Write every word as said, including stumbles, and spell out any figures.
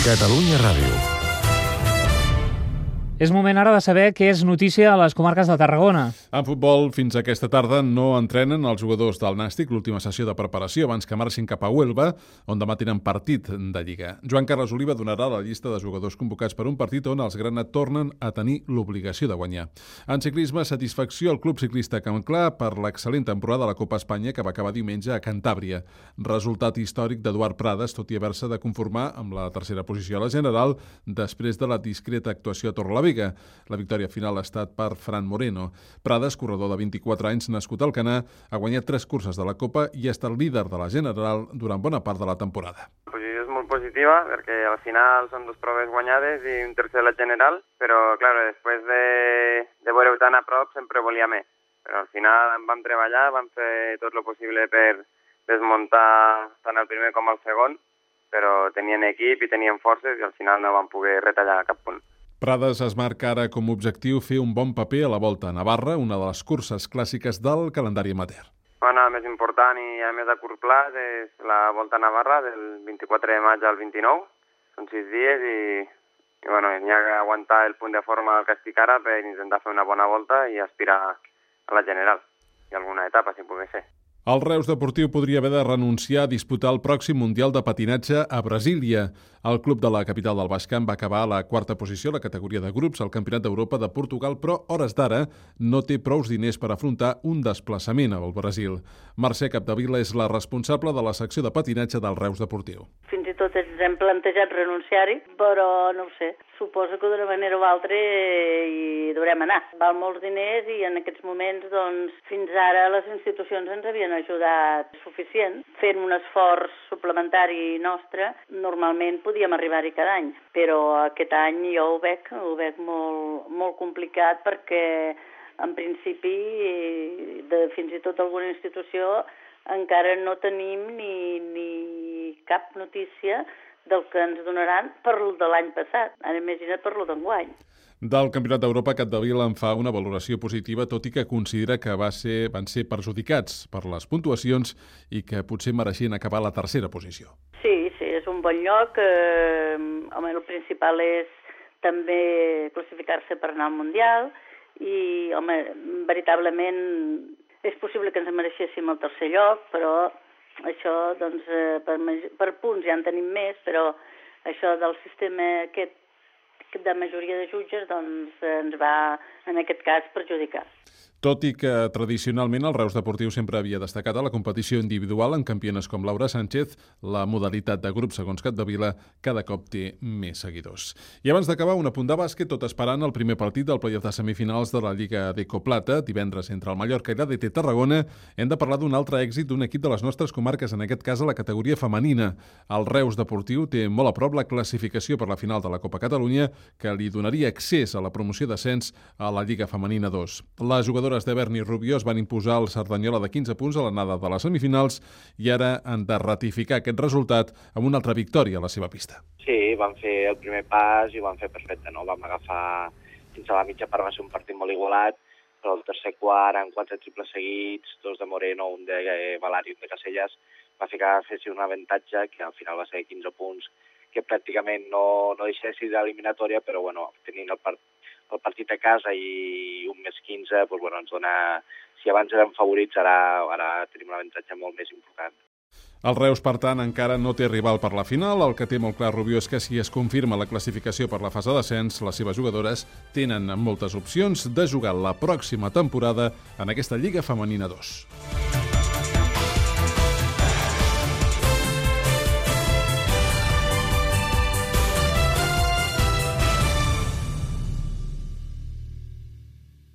Catalunya Ràdio. És moment ara de saber què és notícia a les comarques de Tarragona. En futbol, fins aquesta tarda no entrenen els jugadors del Nàstic, l'última sessió de preparació abans que marxin cap a Huelva, on demà tenen partit de Lliga. Joan Carles Oliva donarà la llista de jugadors convocats per un partit on els grana tornen a tenir l'obligació de guanyar. En ciclisme, satisfacció al Club Ciclista Camp Clar per l'excel·lent temporada de la Copa Espanya que va acabar diumenge a Cantàbria. Resultat històric d'Eduard Prades, tot i haver-se de conformar amb la tercera posició a la general després de la discreta actuació a Torrelavega. La victòria final ha estat per Fran Moreno. Prades, corredor de vint-i-quatre anys, nascut al Canà, ha guanyat tres curses de la Copa i ha estat líder de la general durant bona part de la temporada. La posició és molt positiva perquè al final són dues proves guanyades i un tercer de la general, però clar, després de, de veure-ho tan a prop sempre volia més. Però al final vam treballar, vam fer tot el possible per desmuntar tant el primer com el segon, però tenien equip i tenien forces i al final no vam poder retallar cap punt. Prades es marca ara com a objectiu fer un bon paper a la Volta a Navarra, una de les curses clàssiques del calendari amateur. Bueno, el més important i a més a curt plaç és la Volta a Navarra del vint-i-quatre de maig al vint-i-nou. Són sis dies i, i bueno, n'hi ha que aguantar el punt de forma que estic ara per intentar fer una bona volta i aspirar a la general i alguna etapa, si pugui ser. El Reus Deportiu podria haver de renunciar a disputar el pròxim Mundial de Patinatge a Brasília. El club de la capital del Baix Camp va acabar a la quarta posició a la categoria de grups al Campionat d'Europa de Portugal, però hores d'ara no té prous diners per afrontar un desplaçament al Brasil. Mercè Capdevila és la responsable de la secció de patinatge del Reus Deportiu. Fins i tot ens hem plantejat renunciar-hi, però no ho sé. Suposo que d'una manera o altra hi deurem anar. Val molts diners i en aquests moments, doncs, fins ara les institucions ens havien ajudat suficient. Fent un esforç suplementari nostre, normalment podíem arribar-hi cada any. Però aquest any jo ho veig, ho veig molt, molt complicat perquè, en principi, de fins i tot alguna institució, encara no tenim ni, ni cap notícia del que ens donaran per el de l'any passat. Ara imagina't per lo d'enguany. Del Campionat d'Europa, Capdevila en fa una valoració positiva, tot i que considera que va ser, van ser perjudicats per les puntuacions i que potser mereixien acabar a la tercera posició. Sí, sí, és un bon lloc. Eh, home, el principal és també classificar-se per anar al Mundial i, home, veritablement és possible que ens mereixéssim el tercer lloc, però això, doncs, per, per punts ja en tenim més, però això del sistema aquest de majoria de jutges, doncs, ens va, en aquest cas, perjudicar. Tot i que tradicionalment el Reus Deportiu sempre havia destacat a la competició individual en campiones com Laura Sánchez, la modalitat de grup, segons Capdevila, cada cop té més seguidors. I abans d'acabar, un apunt de bàsquet, tot esperant el primer partit del play-off de semifinals de la Lliga d'Ecoplata, divendres entre el Mallorca i l'A D T Tarragona. Hem de parlar d'un altre èxit d'un equip de les nostres comarques, en aquest cas a la categoria femenina. El Reus Deportiu té molt a prop la classificació per la final de la Copa Catalunya, que li donaria accés a la promoció d'ascens a la Lliga Femenina dos. Les jugadores de Berni Rubió es van imposar el Cerdanyola de quinze punts a l'anada de les semifinals i ara han de ratificar aquest resultat amb una altra victòria a la seva pista. Sí, vam fer el primer pas i ho vam fer perfecte, no? Vam agafar fins a la mitja part, va ser un partit molt igualat, però el tercer quart, amb quatre triples seguits, dos de Moreno, un de Valari, un de Casellas, va fer que fessin un avantatge que al final va ser quinze punts, que pràcticament no, no deixa de ser d'eliminatòria, però bueno, tenint el partit el partit a casa i un més quinze, doncs, bueno, ens dona, si abans érem favorits, ara, ara tenim un avantatge molt més important. El Reus, per tant, encara no té rival per la final. El que té molt clar Rubió és que si es confirma la classificació per la fase d'ascens, les seves jugadores tenen moltes opcions de jugar la pròxima temporada en aquesta Lliga Femenina dos.